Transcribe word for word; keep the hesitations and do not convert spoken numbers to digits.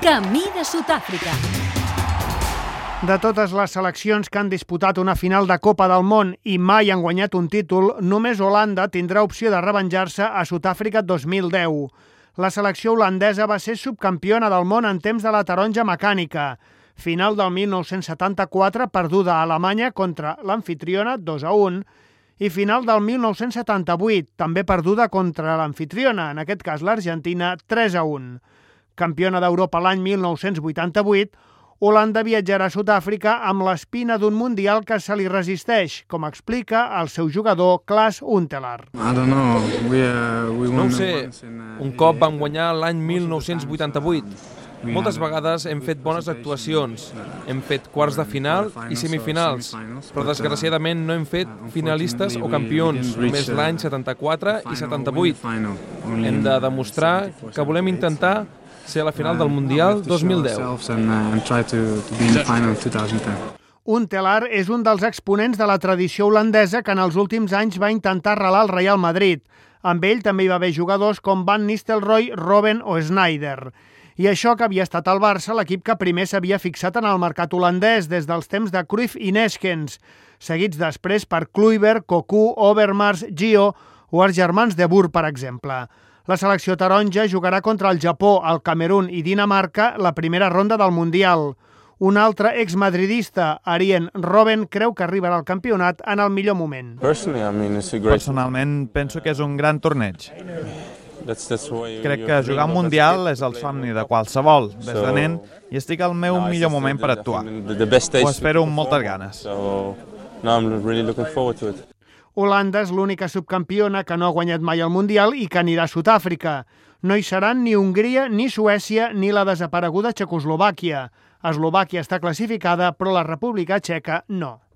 Camí de Sud-àfrica. De totes les seleccions que han disputat una final de Copa del Món i mai han guanyat un títol, només Holanda tindrà opció de revenjar-se a Sud-àfrica dos mil deu. La selecció holandesa va ser subcampiona del món en temps de la taronja mecànica. Final del mil nou-cents setanta-quatre, perduda a Alemanya contra l'amfitriona dos a un, i final del mil nou-cents setanta-vuit, també perduda contra l'amfitriona, en aquest cas l'Argentina, tres a un. Campiona d'Europa l'any mil nou-cents vuitanta-vuit, Holanda viatjarà a Sud-àfrica amb l'espina d'un mundial que se li resisteix, com explica el seu jugador Klaas Huntelaar. No ho sé, un cop vam guanyar l'any mil nou-cents vuitanta-vuit. Moltes vegades hem fet bones actuacions, hem fet quarts de final i semifinals, però desgraciadament no hem fet finalistes o campions, només l'any setanta-quatre i setanta-vuit. Hem de demostrar que volem intentar ser a la final del Mundial dos mil deu. Huntelaar és un dels exponents de la tradició holandesa que en els últims anys va intentar arrelar el Real Madrid. Amb ell també hi va haver jugadors com Van Nistelrooy, Robben o Sneijder. I això que havia estat al Barça, l'equip que primer s'havia fixat en el mercat holandès des dels temps de Cruyff i Neeskens, seguits després per Kluivert, Cocu, Overmars, Gio o els germans de Boer, per exemple. La selecció taronja jugarà contra el Japó, el Camerun i Dinamarca la primera ronda del Mundial. Un altre exmadridista, Arjen Robben, creu que arribarà al campionat en el millor moment. Personalment, penso que és un gran torneig. Crec que jugar un Mundial és el somni de qualsevol, des de nen, i estic al meu millor moment per actuar. Ho espero amb moltes ganes. Holanda és l'única subcampiona que no ha guanyat mai el Mundial i que anirà a Sud-àfrica. No hi seran ni Hongria, ni Suècia, ni la desapareguda Txecoslovàquia. Eslovàquia està classificada, però la República Txeca no.